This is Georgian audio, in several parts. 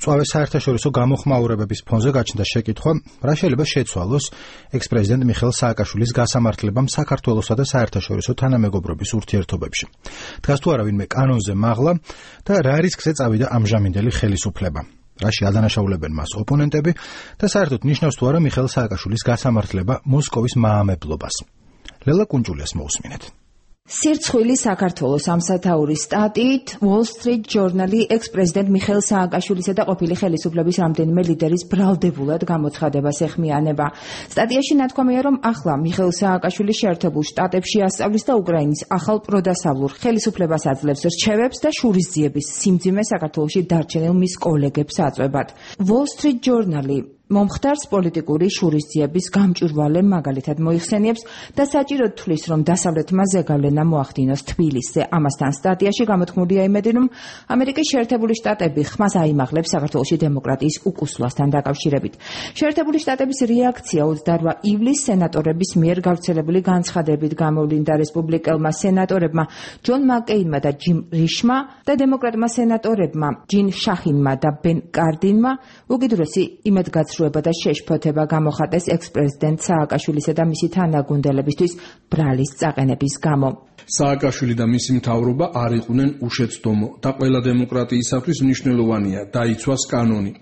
წვავე საერთაშორისო გამოხმაურებების ფონზე გაჩნდა შეკითხვა, რა შეიძლება შეცვალოს ექს-პრეზიდენტ მიხეილ სააკაშვილის გასამართლებამ საქართველოსა და საერთაშორისო თანამეგობრობის ურთიერთობებში. დგას თუ არა ვინმე კანონზე მაღლა და რა რისკზე წავიდა ამჟამინდელი ხელისუფლება. რაში ადანაშაულებენ მას ოპონენტები და საერთოდ ნიშნავს თუ არა მიხეილ სააკაშვილის გასამართლება მოსკოვის მაამებლობას. ლელა კუნჭულიას მოусმინეთ. სირცხვილი საქართველოს ამსათაურის სტატიით Wall Street Journal-ი ექს-პრეზიდენტ მიხეილ სააკაშვილისა და ყოფილი ხელისუფლების რამდენიმე ლიდერის ბრალდებულად გამოცხადებას ეხმიანება. სტატიაში ნათქვამია, რომ ახლა მიხეილ სააკაშვილი შეერთებულ შტატებში ასწავლის და უკრაინის ახალ პროდასავლურ ხელისუფლებას აძლევს რჩევებს და შურისძიების სიმძიმე საქართველოში დარჩენილ მის კოლეგებს აწვევად. Wall Street Journal-ი მომხდარს პოლიტიკური შურისძიების გამჭვირვალე მაგალითად მოიხსენიებს და საჭიროდ თვლის, რომ დასავლეთმა ზეგავლენა მოახდინოს თბილისზე. ამასთან სტატიაში გამოთქმულია იმედი, რომ ამერიკის შეერთებული შტატები ხმას აიმაღლებს საქართველოში დემოკრატიის უკუსლასთან დაკავშირებით. შეერთებული შტატების რეაქცია 28 ივლისს სენატორების მიერ გავრცელებული განცხადებით გამოვლინდა რესპუბლიკელმა სენატორებმა ჯონ მაკეინმა და ჯიმ რიშმა და დემოკრატმა სენატორებმა ჯინ შაჰინმა და ბენ კარდინმა უკიდურესი იმედგაცრუება და შეშფოთება გამოხატეს ექს-პრეზიდენტ სააკაშვილისა და მისი თანაგუნდელებისთვის ბრალის წაყენების გამო. სააკაშვილი და მისი მთავრობა არ იყვნენ უშეცდომო და ყველა დემოკრატიისათვის მნიშვნელოვანია დაიცვას კანონი,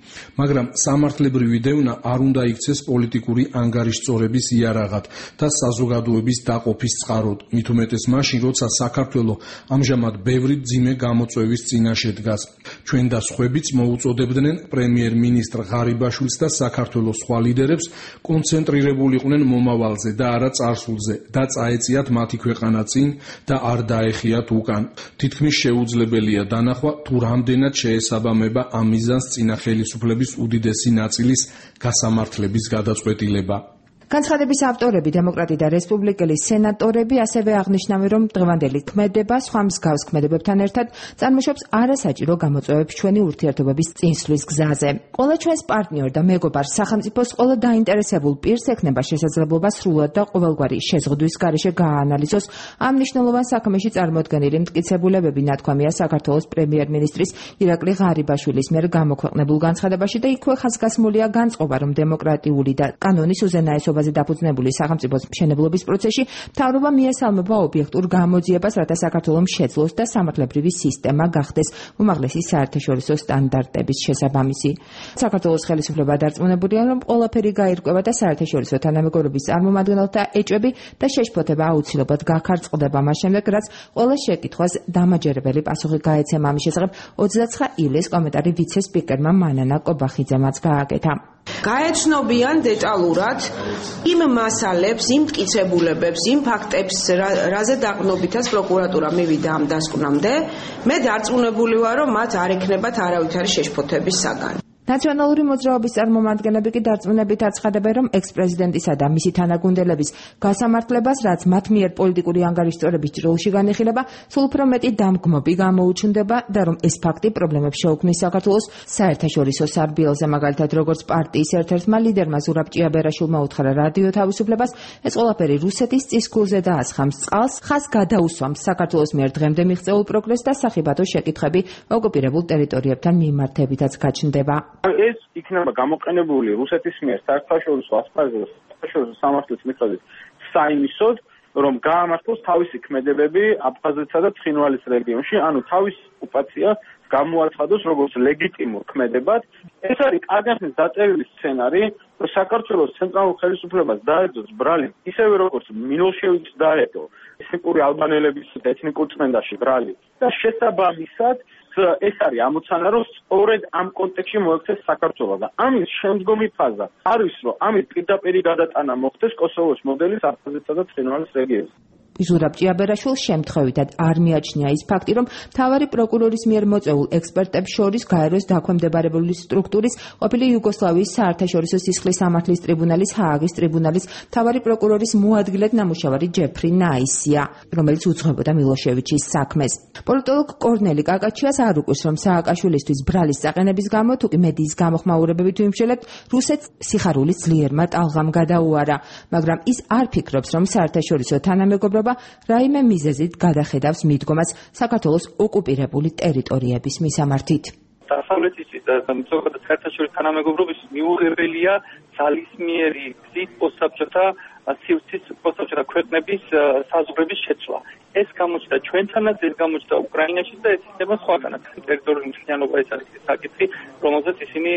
მაგრამ სამართლებრივი დევნა არ უნდა იქცეს პოლიტიკური ანგარიშწორების იარაღად და საზოგადოების დაყოფის წყაროდ, მით უმეტეს მაშინ, როცა საქართველო ამჟამად ბევრი მძიმე გამოწვევის წინაშე დგას. ჩვენ და სხვაებიც მოუწოდებდნენ პრემიერ-მინისტრ ღარიბაშვილს და საქართველოს სხვა ლიდერებს კონცენტრირებულიყვნენ მომავალზე და არა წარსულზე და წაეწიათ მათი ქვეყანა წინ და არ დაეხიათ უკან. თითქმის შეუძლებელია დანახვა, თუ რამდენად შეესაბამება ამ მიზანს წინა ხელისუფლების უდიდესი ნაწილის გასამართლების გადაწყვეტილება. განცხადების ავტორები, დემოკრატი და რესპუბლიკელი სენატორები ასევე აღნიშნავენ, რომ დღევანდელი ქმედება სხვა მსგავს ქმედებებთან ერთად წარმოშობს არასაჭირო გამოწვევებს ჩვენი ურთიერთობების წინსვლის გზაზე. ყველა ჩვენს პარტნიორ და მეგობარ სახელმწიფოს ყველა დაინტერესებულ პირს ექნება შესაძლებლობა სრულად და ყოველგვარი შეზღუდვის გარეშე გააანალიზოს ამ მნიშვნელოვან საქმეში წარმოდგენილი მტკიცებულებები, ნათქვამია საქართველოს პრემიერ-მინისტრის ირაკლი ღარიბაშვილის მიერ გამოქვეყნებულ განცხადებაში და იქვე ხაზგასმულია განწყობა, რომ დემოკრატიული და კანონის უზენაესობა დაფუძნებული სახელმწიფოს მშენებლობის პროცესში მთავრობა მიესალმება ობიექტურ გამოძიებას, რათა საქართველოს შეძლოს და სამართლებრივი სისტემა გახდეს უმაღლესი საერთაშორისო სტანდარტების შესაბამისი. საქართველოს ხელისუფლება დარწმუნებულია, რომ ყველაფერი გაირკვევა და საერთაშორისო თანამეგობრობის წარმომადგენელთა ეჭვები და შეშფოთება აუცილებლად გაქარწყდება მას შემდეგ, რაც ყველა შეკითხვას დამაჯერებელი პასუხი გაეცემა. ამის შესახებ 29 ივლისს კომენტარი ვიცე-სპიკერმა მანანა კობახიძემაც გააკეთა. გაეცნობიან დეტალურად იმ მასალებს, იმ მტკიცებულებებს, იმ ფაქტებს, რაზე დაყრდნობითაც პროკურატურა მივიდა ამ დასკვნამდე, მე დარწმუნებული ვარ, რომ მათ არ ექნებათ არავითარი შეშფოთების საგანი. ნაციონალური მოძრაობის წარმომადგენლები კი დარწმუნებით აცხადებენ, რომ ექს-პრეზიდენტისა და მისი თანაგუნდელების გასამართლებას, რაც მათ მიერ პოლიტიკური ანგარიშწორების ჭრილში განიხილება, სულ უფრო მეტი დამგმობი გამოუჩნდება და რომ ეს ფაქტი პრობლემებს შეუქმნის საქართველოს საერთაშორისო სარბიელზე, მაგალითად, როგორც პარტიის ერთ-ერთმა ლიდერმა ზურაბ ჭიაბერაშვილმა უთხრა რადიო თავისუფლებას, ეს ყველაფერი რუსეთის წისქვილზე დაასხამს წყალს, ხაზ გადაუსვამს საქართველოს მიერ დღემდე მიღწეულ პროგრესს და სახიბათო შეკითხვები ოკუპირებულ ტერიტორიებთან მიმართებითაც გაჩნდება. ეს იქნება გამოყენებული რუსეთის მიერ საერთაშორისო ასპარეზზე, საერთაშორისო სამართლის მიხედვით საიმისოდ, რომ გაამართლოს თავისი ქმედებები აფხაზეთსა და ცხინვალის რეგიონში, ანუ თავისი ოკუპაცია გამოაცხადოს როგორც ლეგიტიმურ ქმედებად. ეს არის კადენციის დაწერილი სცენარი, რომ საქართველოს ცენტრალურ ხელისუფლებას დაეძოს ბრალი, ისევე როგორც მილოშევიჩს დაედო ეთნიკური ალბანელების ეთნიკურ წმენდაში ბრალი და შესაბამისად ეს არის ამოცანა, რომ სწორედ ამ კონტექსტში მოექცეს საქართველოს და ამის შემდგომი ფაზა არის, რომ ამის პირდაპირი გადატანა მოხდეს კოსოვოს მოდელის აფხაზეთსა და ცხინვალის რეგიონში. ზურაბ ჭიაბერაშვილს შემთხვევითად არ მიაჩნია ის ფაქტი, რომ მთავარი პროკურორის მიერ მოწვეულ ექსპერტებს შორის გაეროს დაქვემდებარებული სტრუქტურის ყოფილი იუგოსლავიის საერთაშორისო სისხლის სამართლის ტრიბუნალის ჰააგის ტრიბუნალის მთავარი პროკურორის მოადგილედ ნამუშევარი ჯეფრი ნაისია, რომელიც უძღვებოდა მილოშევიჩის საქმეს. პოლიტოლოგ კორნელი კაკაჩიას არ უყვირს, რომ სააკაშვილისთვის ბრალის წაყენების გამო თუ კი მედიის გამოხმაურებებით ვიმსჯელებთ, რუსეთს სიხარულის ძლიერმა ტალღამ გადაუარა, მაგრამ ის არ ფიქრობს, რომ საერთაშორისო თანამეგობრობა რაიმე მიზეზით გადახედავს მიდგომას საქართველოს ოკუპირებული ტერიტორიების მისამართით. დასავლეთის ზოგადად საერთაშორისო თანამეგობრობის მიუღებელია ძალისმიერი გზით პოსტსაბჭოთა სივრცის პოსტსაბჭოთა ქვეყნების საზღვრების შეცვლა. ეს გამოჩნდა ჩვენთანაც, ეს გამოჩნდა უკრაინაში და ეს იქნება სხვაგანაც. ტერიტორიული მთლიანობა ეს არის საკითხი, რომელზეც ისინი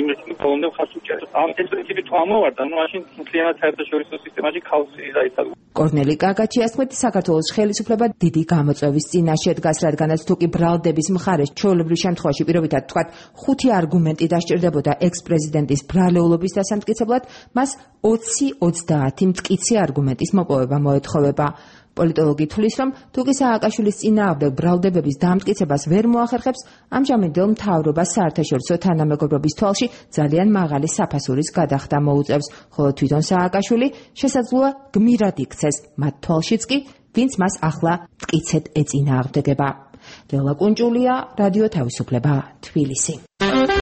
იმრეცი ბოლომდე ხარს უჭერენ. ეს პრინციპი თუ ამოვარდა, მაშინ მთლიანად საერთაშორისო სისტემაში ქაოსი დაიწყო. კორნელი კაკაჩიას თქმით, საქართველოს ხელისუფლება დიდი გამოწვევის წინაშე დგას, რადგანაც თუ კი ბრალდების მხარეს ჩვეულებრივ შემთხვევაში პირობითად თქვათ 5 არგუმენტი დასჭირდებოდა ექს-პრეზიდენტის ბრალეულობის დასამტკიცებლად, მას 20-30 მტკიცე არგუმენტის მოპოვება მოეთხოვება. პოლიტოლოგი თვლის, რომ თუ კი სააკაშვილის წინააღმდეგ ბრალდებების დამტკიცებას ვერ მოახერხებს, ამჟამინდელ მთავრობას საერთაშორისო თანამეგობრობის თვალში ძალიან მაღალი საფასურის გადახდა მოუწევს, ხოლო თვითონ სააკაშვილი შესაძლოა გმირად იქცეს მათ თვალშიც კი, ვინც მას ახლა მტკიცედ ეწინააღმდეგება. ლელა კუნჭულია, რადიო თავისუფლება, თბილისი.